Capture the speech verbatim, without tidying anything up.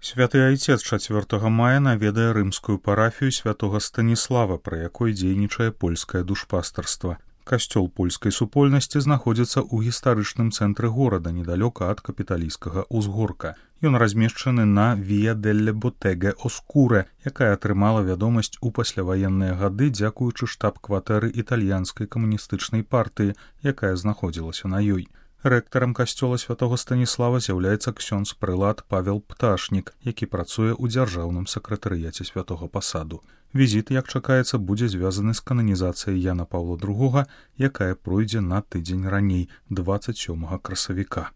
Святы айцец чацвёртага мая наведае рымскую парафію святога Станіслава, пры якой дзейнічае польскае душпастарства. Касцёл польскай супольнасці знаходзіцца ў гістарычным цэнтры горада, недалёка ад капіталійскага ўзгорка. Ён размешчаны на Віа делле Ботеге Оскуре, якая атрымала вядомасць у пасляваенныя гады дзякуючы штаб-кватэры італьянскай камуністычнай партыі, якая знаходзілася на ёй. Рэктарам касцёла святога Станіслава з'яўляецца ксёндз-прылад Павел Пташнік, які працуе ў дзяржаўным сакратарыяце святога пасаду. Візіт, як чакаецца, будзе звязаны з кананізацыяй Яна Паўла другога, якая пройдзе на тыдзень раней, дваццаць сёмага красавіка.